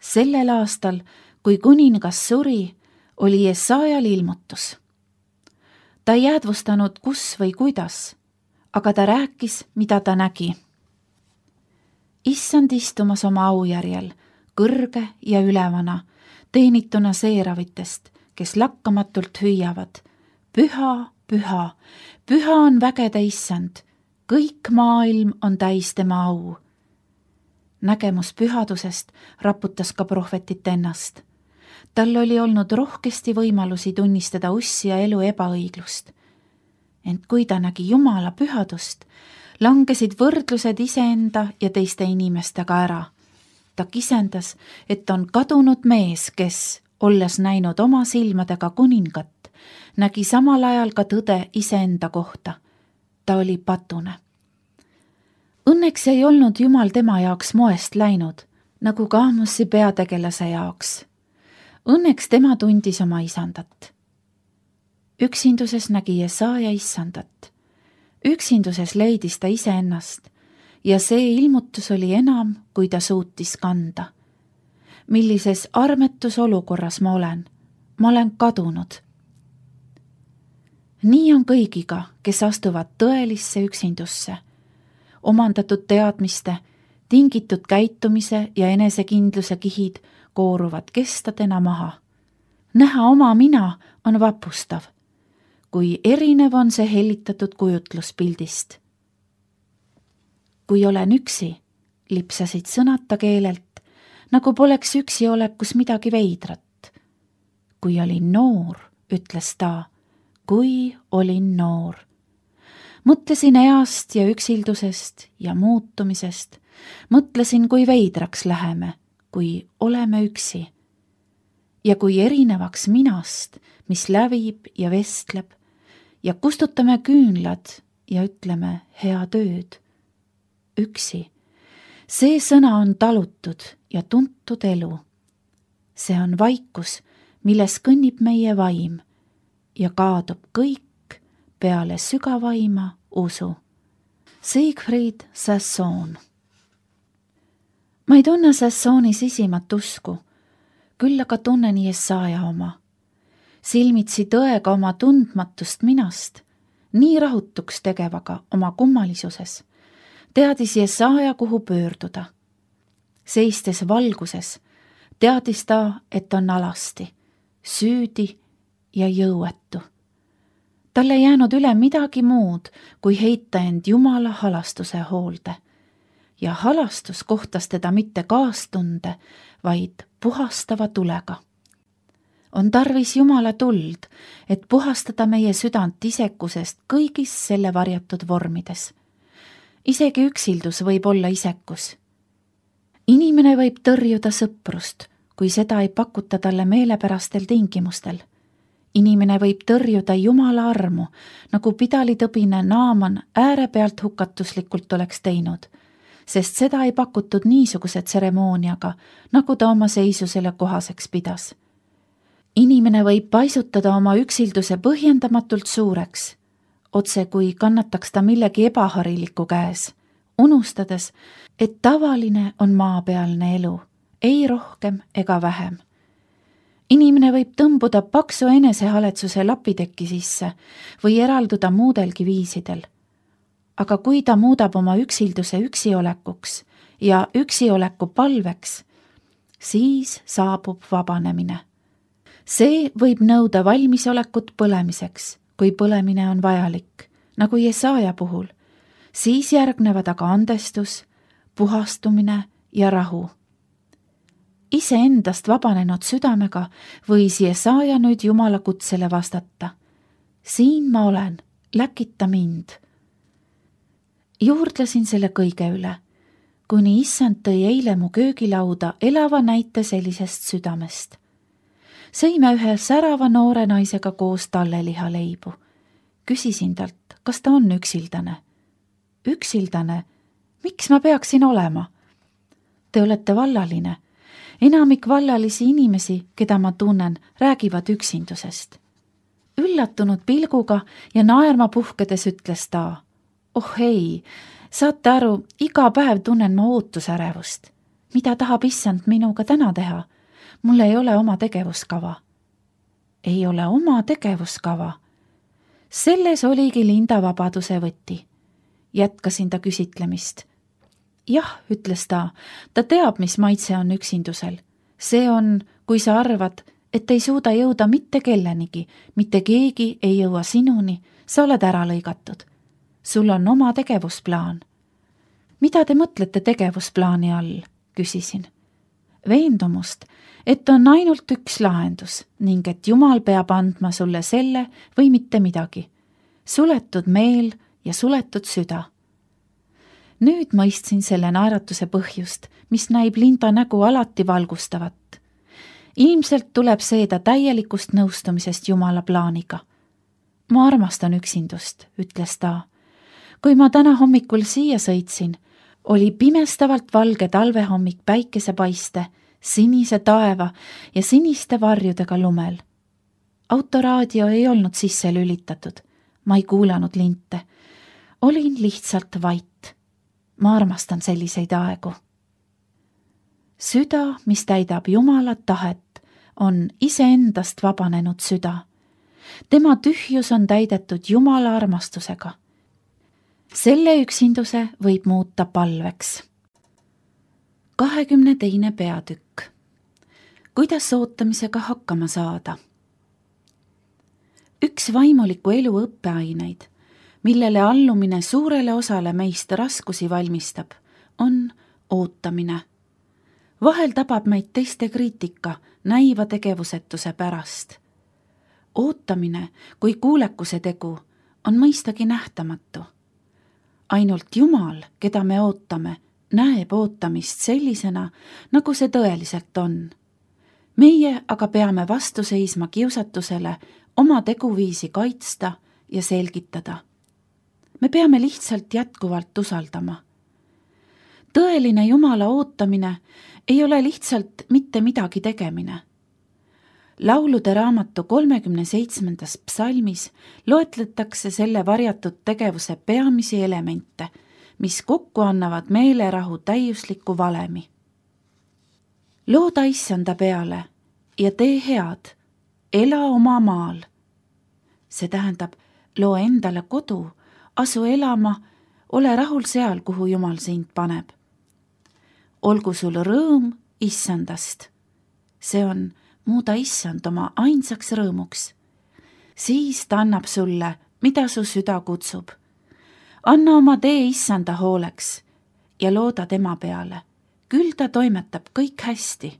Sellel aastal, kui kuningas suri, oli Jesajal ilmutus. Ta ei jäädvustanud, kus või kuidas, aga ta rääkis, mida ta nägi. Issand istumas oma aujärjel, kõrge ja ülevana, teenituna seeravitest, kes lakkamatult hüüavad. Püha, püha, püha on vägede issand, kõik maailm on täis tema au. Nägemus pühadusest raputas ka prohvetit ennast. Tal oli olnud rohkesti võimalusi tunnistada ussi ja elu ebaõiglust. Ent kui ta nägi Jumala pühadust, langesid võrdlused iseenda ja teiste inimestega ära. Ta kisendas, et on kadunud mees, kes, olles näinud oma silmadega kuningat, nägi samal ajal ka tõde iseenda kohta. Ta oli patune. Õnneks ei olnud Jumal tema jaoks moest läinud, nagu ka Amosi peategelase jaoks. Õnneks tema tundis oma isandat. Üksinduses nägi Jesaja isandat. Üksinduses leidis ta iseennast ja see ilmutus oli enam, kui ta suutis kanda. Millises armetus olukorras ma olen? Ma olen kadunud. Nii on kõigiga, kes astuvad tõelisse üksindusse. Omandatud teadmiste, tingitud käitumise ja enesekindluse kihid kooruvad kestadena maha. Näha oma mina on vapustav, kui erinev on see hellitatud kujutluspildist. Kui olen üksi, lipsasid sõnata keelelt, nagu poleks üksi olekus midagi veidrat. Kui olin noor, ütles ta, kui olin noor. Mõtlesin east ja üksildusest ja muutumisest. Mõtlesin, kui veidraks läheme, kui oleme üksi. Ja kui erinevaks minast, mis lävib ja vestleb, ja kustutame küünlad ja ütleme hea tööd. Üksi. See sõna on talutud ja tuntud elu. See on vaikus, milles kõnnib meie vaim ja kaadub kõik peale sügavaima usu. Siegfried Sassoon. Ma ei tunne Sassooni sisimat usku, küll aga tunnen Jesaja oma. Silmitsi tõega oma tundmatust minast, nii rahutuks tegevaga oma kummalisuses, teadis Jesaja, kuhu pöörduda. Seistes valguses, teadis ta, et on alasti, süüdi ja jõuetu. Tal ei jäänud üle midagi muud, kui heita end Jumala halastuse hoolde. Ja halastus kohtas teda mitte kaastunde, vaid puhastava tulega. On tarvis Jumala tuld, et puhastada meie südant isekusest kõigis selle varjatud vormides. Isegi üksildus võib olla isekus. Inimene võib tõrjuda sõprust, kui seda ei pakuta talle meelepärastel tingimustel. Inimene võib tõrjuda Jumala armu, nagu pidalitõbine Naaman äärepealt hukatuslikult oleks teinud, sest seda ei pakutud niisuguse tseremooniaga, nagu ta oma seisusele kohaseks pidas. Inimene võib paisutada oma üksilduse põhjendamatult suureks, otse kui kannataks ta millegi ebahariliku käes, unustades, et tavaline on maapealne elu, ei rohkem ega vähem. Inimene võib tõmbuda paksu enesehaletsuse lapitekki sisse või eralduda muudelgi viisidel. Aga kui ta muudab oma üksilduse üksiolekuks ja üksioleku palveks, siis saabub vabanemine. See võib nõuda valmisolekut põlemiseks, kui põlemine on vajalik, nagu Jesaja puhul. Siis järgnevad aga andestus, puhastumine ja rahu. Iseendast vabanenud südamega võis Jesaja nüüd Jumala kutsele vastata. Siin ma olen, läkita mind. Juurdlesin selle kõige üle, kuni issand tõi eile mu köögilauda elava näite sellisest südamest. Sõime ühe särava noore naisega koos tallelihaleibu. Küsisin talt, kas ta on üksildane. Üksildane? Miks ma peaksin olema? Te olete vallaline. Enamik vallalisi inimesi, keda ma tunnen, räägivad üksindusest. Üllatunud pilguga ja naerma puhkedes ütles ta, oh ei, saate aru, iga päev tunnen ma ootusärevust. mida tahab issand minuga täna teha? Mul ei ole oma tegevuskava. Ei ole oma tegevuskava. Selles oligi Linda vabaduse võti. Jätkasin ta küsitlemist. Jah, ütles ta teab, mis maitse on üksindusel. See on, kui sa arvad, et ei suuda jõuda mitte kellenigi, mitte keegi ei jõua sinuni, sa oled ära lõigatud. Sul on oma tegevusplaan. Mida te mõtlete tegevusplaani all? Küsisin. Veendumust, et on ainult üks lahendus ning et Jumal peab andma sulle selle või mitte midagi. Suletud meel ja suletud süda. Nüüd mõistsin selle naeratuse põhjust, mis näib Linda nägu alati valgustavat. Ilmselt tuleb see ta täielikust nõustumisest Jumala plaaniga. Ma armastan üksindust, ütles ta. Kui ma täna hommikul siia sõitsin, oli pimestavalt valge talvehommik päikesepaiste, sinise taeva ja siniste varjudega lumel. Autoraadio ei olnud sisse lülitatud. Ma ei kuulanud linte. Olin lihtsalt vait. Ma armastan selliseid aegu. Süda, mis täidab Jumala tahet, on iseendast vabanenud süda. Tema tühjus on täidetud Jumala armastusega. Selle üksinduse võib muuta palveks. 22. peatükk. Kuidas ootamisega hakkama saada? Üks vaimuliku elu õppeaineid, millele allumine suurele osale meist raskusi valmistab, on ootamine. Vahel tabab meid teiste kriitika näiva tegevusetuse pärast. Ootamine kui kuulekuse tegu on mõistagi nähtamatu. Ainult Jumal, keda me ootame, näeb ootamist sellisena, nagu see tõeliselt on. Meie aga peame vastu seisma kiusatusele oma teguviisi kaitsta ja selgitada. Me peame lihtsalt jätkuvalt usaldama. Tõeline Jumala ootamine ei ole lihtsalt mitte midagi tegemine. Laulude raamatu 37. psalmis loetletakse selle varjatud tegevuse peamisi elemente, mis kokku annavad meelerahu täiusliku valemi. Looda issanda peale ja tee head, ela oma maal. See tähendab, loo endale kodu, asu elama, ole rahul seal, kuhu Jumal sind paneb. Olgu sul rõõm issandast. See on muuda issand oma ainsaks rõõmuks. Siis ta annab sulle, mida su süda kutsub. Anna oma tee issanda hooleks ja looda tema peale. Küll ta toimetab kõik hästi.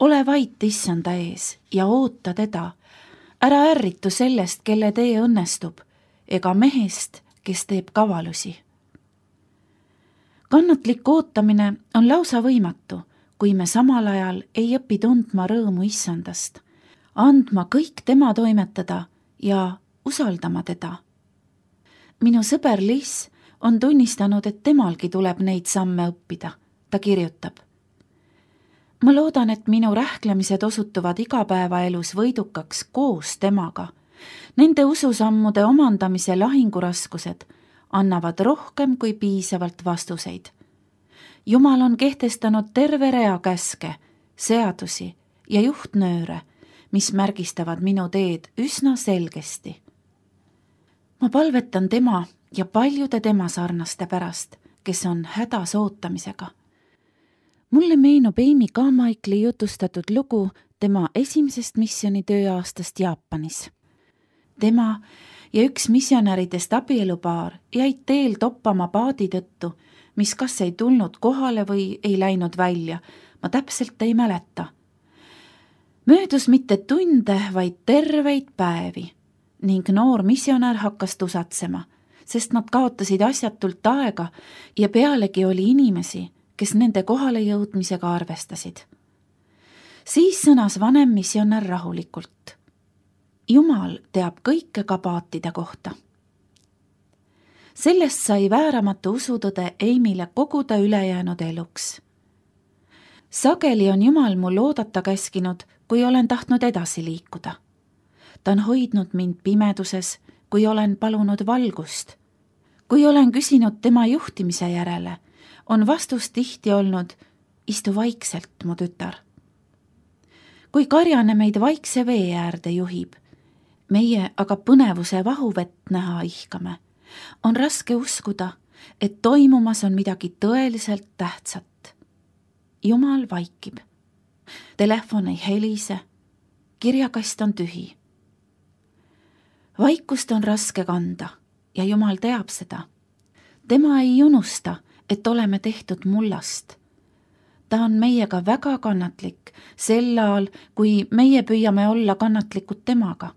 Ole vait issanda ees ja oota teda. Ära ärritu sellest, kelle tee õnnestub, ega mehest, kes teeb kavalusi. Kannatlik ootamine on lausa võimatu, kui me samal ajal ei õpi tundma rõõmu issandast, andma kõik tema toimetada ja usaldama teda. Minu sõber Liis on tunnistanud, et temalgi tuleb neid samme õppida. Ta kirjutab. Ma loodan, et minu rähklemised osutuvad igapäevaelus võidukaks koos temaga. Nende ususammude omandamise lahinguraskused annavad rohkem kui piisavalt vastuseid. Jumal on kehtestanud terve rea käske, seadusi ja juhtnööre, mis märgistavad minu teed üsna selgesti. Ma palvetan tema ja paljude tema sarnaste pärast, kes on hädas ootamisega. Mulle meenub Amy Carmichaeli jutustatud lugu tema esimesest missiooni tööaastast Jaapanis. Tema ja üks missionäridest abielupaar jäid teel toppama paadi tõttu, mis kas ei tulnud kohale või ei läinud välja, ma täpselt ei mäleta. Möödus mitte tunde, vaid terveid päevi ning noor missionär hakkas tusatsema, sest nad kaotasid asjatult aega ja pealegi oli inimesi, kes nende kohale jõudmisega arvestasid. Siis sõnas vanem missionär rahulikult. Jumal teab kõike ka paatide kohta. Sellest sai vääramatu usutõde Amyle kogu ta ülejäänud eluks. Sageli on Jumal mul oodata käskinud, kui olen tahtnud edasi liikuda. Ta on hoidnud mind pimeduses, kui olen palunud valgust. Kui olen küsinud tema juhtimise järele, on vastus tihti olnud, istu vaikselt, mu tütar. Kui karjane meid vaikse vee äärde juhib, meie aga põnevuse vahuvett näha ihkame, on raske uskuda, et toimumas on midagi tõeliselt tähtsat. Jumal vaikib. Telefon ei helise, kirjakast on tühi. Vaikust on raske kanda ja Jumal teab seda. Tema ei unusta, et oleme tehtud mullast. Ta on meiega väga kannatlik sel ajal, kui meie püüame olla kannatlikud temaga.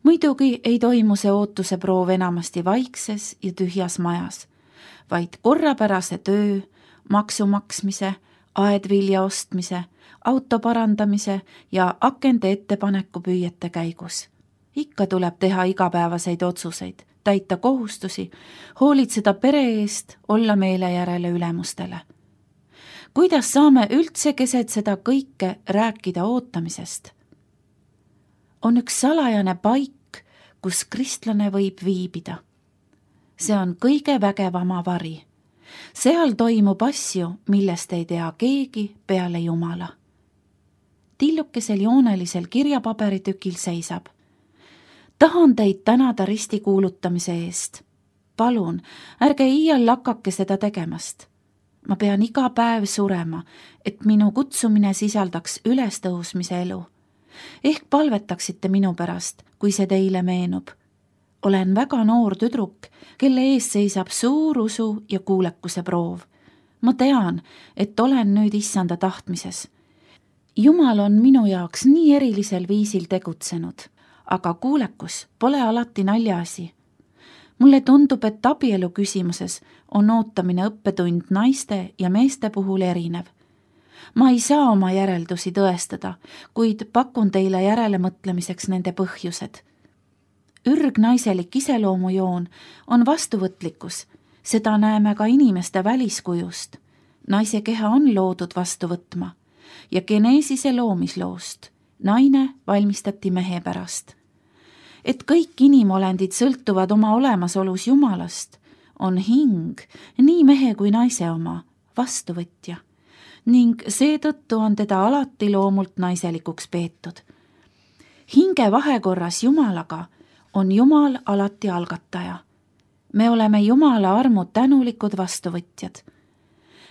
Muidugi ei toimu see ootuse proov enamasti vaikses ja tühjas majas, vaid korrapärase töö, maksu maksmise, aedvilja ostmise, auto parandamise ja akende ettepaneku püüete käigus. Ikka tuleb teha igapäevaseid otsuseid, täita kohustusi, hoolitseda pere eest, olla meele järele ülemustele. Kuidas saame üldse keset seda kõike rääkida ootamisest? On üks salajane paik, kus kristlane võib viibida. See on kõige vägevama vari. Seal toimub asju, millest ei tea keegi peale Jumala. Tillukesel joonelisel kirjapaberitükil seisab: tahan teid tänada risti kuulutamise eest. Palun, ärge iial lakake seda tegemast. Ma pean iga päev surema, et minu kutsumine sisaldaks ülestõusmise elu. Ehk palvetaksite minu pärast, kui see teile meenub. Olen väga noor tüdruk, kelle ees seisab suur usu ja kuulekuse proov. Ma tean, et olen nüüd issanda tahtmises. Jumal on minu jaoks nii erilisel viisil tegutsenud, aga kuulekus pole alati naljaasi. Mulle tundub, et abielu küsimuses on ootamine õppetund naiste ja meeste puhul erinev. Ma ei saa oma järeldusi tõestada, kuid pakun teile järelemõtlemiseks nende põhjused. Ürgnaiselik iseloomujoon on vastuvõtlikkus, seda näeme ka inimeste väliskujust. Naise keha on loodud vastu võtma ja Geneesise loomisloost naine valmistati mehe pärast. Et kõik inimolendid sõltuvad oma olemasolus Jumalast, on hing, nii mehe kui naise oma, vastuvõtja, ning seetõttu on teda alati loomult naiselikuks peetud. Hinge vahekorras Jumalaga on Jumal alati algataja. Me oleme Jumala armu tänulikud vastuvõtjad.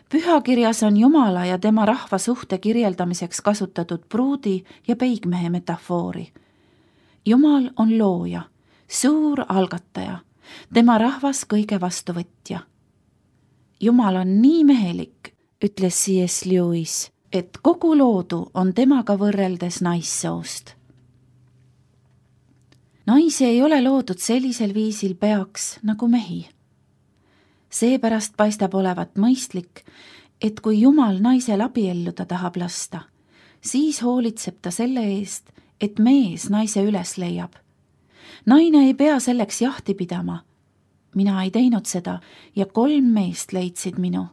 Pühakirjas on Jumala ja tema rahva suhte kirjeldamiseks kasutatud pruudi ja peigmehe metafoori. Jumal on looja, suur algataja, tema rahvas kõige vastuvõtja. Jumal on nii mehelik, ütles C.S. Lewis, et kogu loodu on temaga võrreldes naissoost. Naisi ei ole loodud sellisel viisil peaks nagu mehi. Seepärast paistab olevat mõistlik, et kui Jumal naisel abielluda tahab lasta, siis hoolitseb ta selle eest, et mees naise üles leiab. Naine ei pea selleks jahti pidama. Mina ei teinud seda ja 3 meest leidsid minu.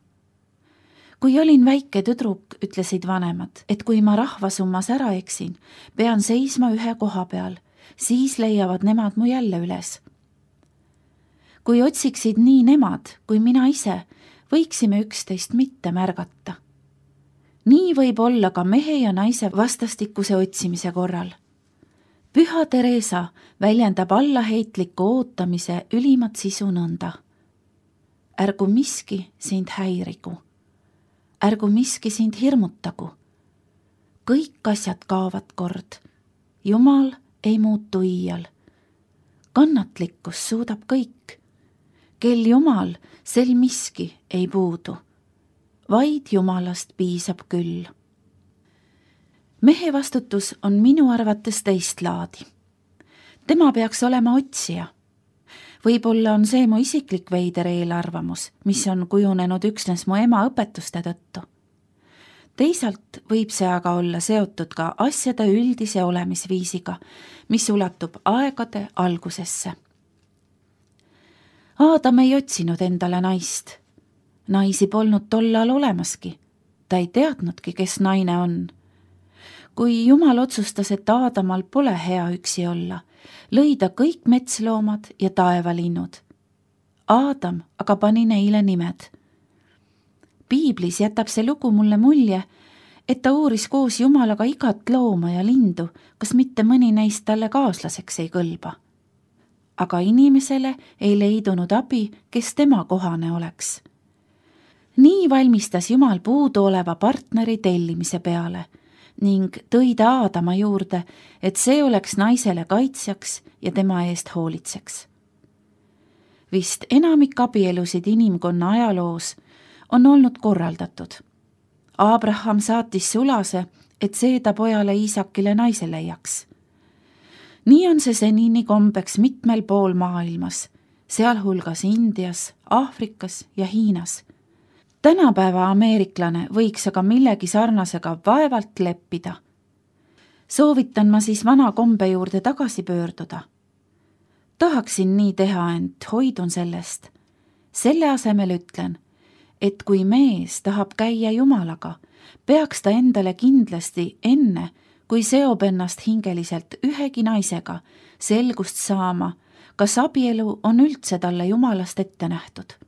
Kui olin väike tüdruk, ütlesid vanemad, et kui ma rahvasummas ära eksin, pean seisma ühe koha peal, siis leiavad nemad mu jälle üles. Kui otsiksid nii nemad kui mina ise, võiksime üksteist mitte märgata. Nii võib olla ka mehe ja naise vastastikuse otsimise korral. Püha Teresa väljendab allaheitliku ootamise ülimat sisu nõnda. Ärgu miski sind häirigu. Ärgu miski sind hirmutagu. Kõik asjad kaovad kord. Jumal ei muutu iial. Kannatlikkus suudab kõik. Kel Jumal, sel miski ei puudu. Vaid Jumalast piisab küll. Mehe vastutus on minu arvates teist laadi. Tema peaks olema otsija. Võib-olla on see mu isiklik veider eelarvamus, mis on kujunenud üksnes mu ema õpetuste tõttu. Teisalt võib see aga olla seotud ka asjade üldise olemisviisiga, mis ulatub aegade algusesse. Aadam ei otsinud endale naist. Naisi polnud tollal olemaski. Ta ei teadnudki, kes naine on. Kui Jumal otsustas, et Aadamal pole hea üksi olla, lõi ta kõik metsloomad ja taevalinnud. Aadam aga pani neile nimed. piiblis jätab see lugu mulle mulje, et ta uuris koos Jumalaga igat looma ja lindu, kas mitte mõni neist talle kaaslaseks ei kõlba. Aga inimesele ei leidunud abi, kes tema kohane oleks. Nii valmistas Jumal puuduoleva partneri tellimise peale ning tõi ta Aadama juurde, et see oleks naisele kaitsjaks ja tema eest hoolitseks. Vist enamik abielusid inimkonna ajaloos on olnud korraldatud. Abraham saatis sulase, et see ta pojale Iisakile naise leiaks. Nii on see senini kombeks mitmel pool maailmas, sealhulgas Indias, Aafrikas ja Hiinas. Tänapäeva ameeriklane võiks aga millegi sarnasega vaevalt leppida. Soovitan ma siis vana kombe juurde tagasi pöörduda. Tahaksin nii teha, ent hoidun sellest. Selle asemel ütlen, et kui mees tahab käia Jumalaga, peaks ta endale kindlasti enne, kui seob ennast hingeliselt ühegi naisega, selgust saama, kas abielu on üldse talle Jumalast ette nähtud.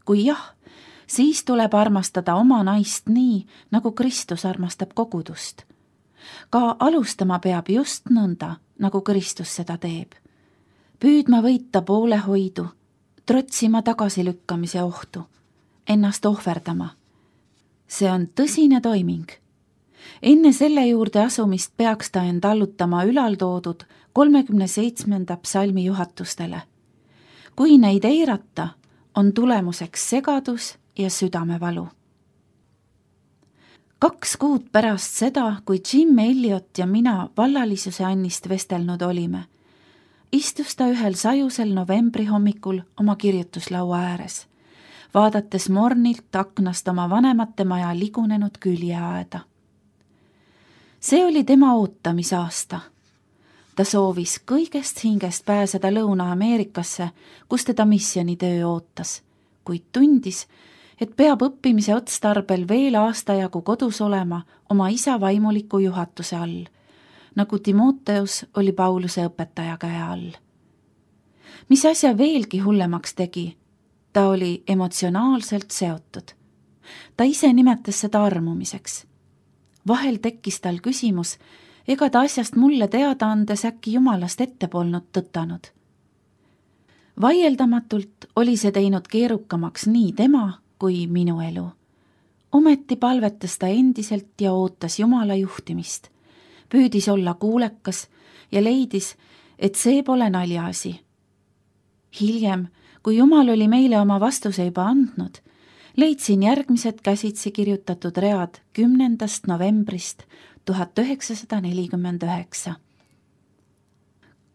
Kui jah, siis tuleb armastada oma naist nii, nagu Kristus armastab kogudust. Ka alustama peab just nõnda, nagu Kristus seda teeb. Püüdma võita poolehoidu, trotsima tagasilükkamise ohtu, ennast ohverdama. See on tõsine toiming. Enne selle juurde asumist peaks ta end allutama ülaltoodud 37. psalmi juhatustele. Kui neid eirata, on tulemuseks segadus ja südamevalu. 2 kuud pärast seda, kui Jim Elliot ja mina vallalisuse annist vestelnud olime, istus ta ühel sajusel novembri hommikul oma kirjutuslaua ääres, vaadates mornilt aknast oma vanemate maja ligunenud küljeaeda. See oli tema ootamisaasta. Ta soovis kõigest hingest pääseda Lõuna-Ameerikasse, kus teda missionitöö ootas, kuid tundis, et peab õppimise otstarbel veel aastajagu kodus olema oma isa vaimuliku juhatuse all, nagu Timoteus oli Pauluse õpetaja käe all. Mis asja veelgi hullemaks tegi, ta oli emotsionaalselt seotud. Ta ise nimetas seda armumiseks. Vahel tekkis tal küsimus, ega ta asjast mulle teada andes äkki Jumalast ette polnud tõtanud. Vaieldamatult oli see teinud keerukamaks nii tema kui minu elu. Ometi palvetas ta endiselt ja ootas Jumala juhtimist. Püüdis olla kuulekas ja leidis, et see pole naljaasi. Hiljem, kui Jumal oli meile oma vastuse juba andnud, leidsin järgmised käsitsi kirjutatud read 10. novembrist 1949.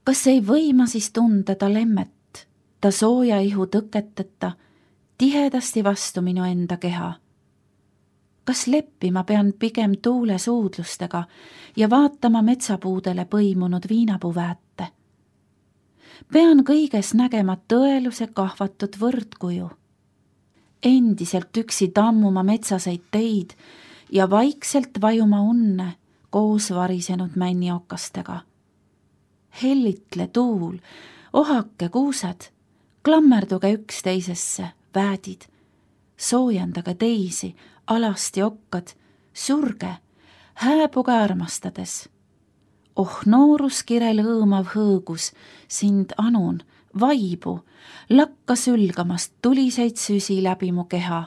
Kas ei või ma siis tunda ta lemmet, ta sooja ihu tõketeta, tihedasti vastu minu enda keha? Kas leppima pean pigem tuule suudlustega ja vaatama metsapuudele põimunud viinapuvääte? Pean kõiges nägema tõeluse kahvatud võrdkuju. Endiselt üksi tammuma metsaseid teid ja vaikselt vajuma unne koos varisenud männiokastega. Hellitle tuul, ohake kuused, klammerduge üksteisesse, väädid, soojendage teisi, alasti okkad, surge, hääbuge armastades. Oh nooruskire lõõmav hõõgus, sind anun, vaibu, lakka sülgamast tuliseid süsi läbi mu keha.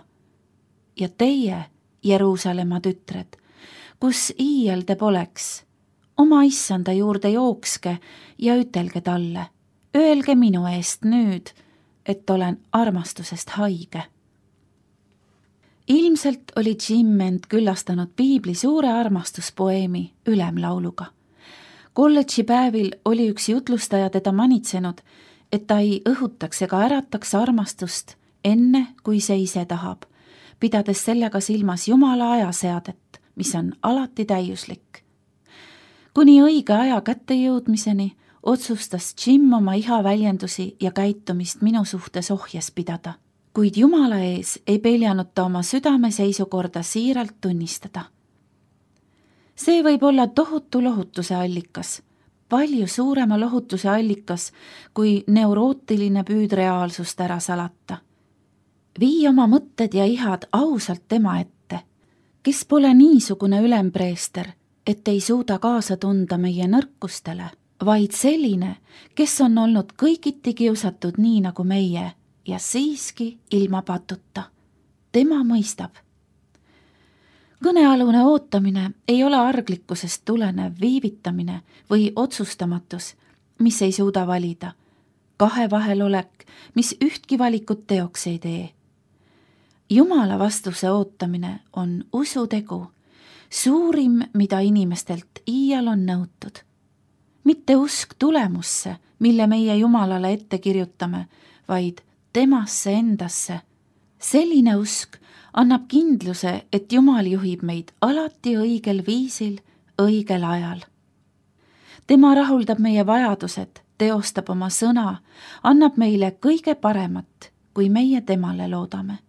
Ja teie, Jeruusalemma tütred, kus iial te poleks, oma issanda juurde jookske ja ütelge talle, öelge minu eest nüüd, et olen armastusest haige. Ilmselt oli Jim end küllastanud Piibli suure armastuspoeemi Ülemlauluga. Kolledži päevil oli üks jutlustaja teda manitsenud, et ta ei õhutaks ega ärataks armastust enne, kui see ise tahab, pidades sellega silmas Jumala ajaseadet, mis on alati täiuslik. Kuni õige aja kätte jõudmiseni otsustas Jim oma iha väljendusi ja käitumist minu suhtes ohjes pidada, kuid Jumala ees ei peljanud ta oma südame seisukorda siiralt tunnistada. See võib olla tohutu lohutuse allikas, palju suurema lohutuse allikas kui neurootiline püüd reaalsust ära salata. Vii oma mõtted ja ihad ausalt tema ette, kes pole niisugune ülempreester, et ei suuda kaasa tunda meie nõrkustele, vaid selline, kes on olnud kõigiti kiusatud nii nagu meie ja siiski ilma patuta. Tema mõistab. Kõnealune ootamine ei ole arglikkusest tulenev viivitamine või otsustamatus, mis ei suuda valida, kahe vahelolek, mis ühtki valikut teoks ei tee. Jumala vastuse ootamine on usutegu, suurim, mida inimestelt iial on nõutud. Mitte usk tulemusse, mille meie Jumalale ette kirjutame, vaid temasse endasse. Selline usk annab kindluse, et Jumal juhib meid alati õigel viisil, õigel ajal. Tema rahuldab meie vajadused, teostab oma sõna, annab meile kõige paremat, kui meie temale loodame.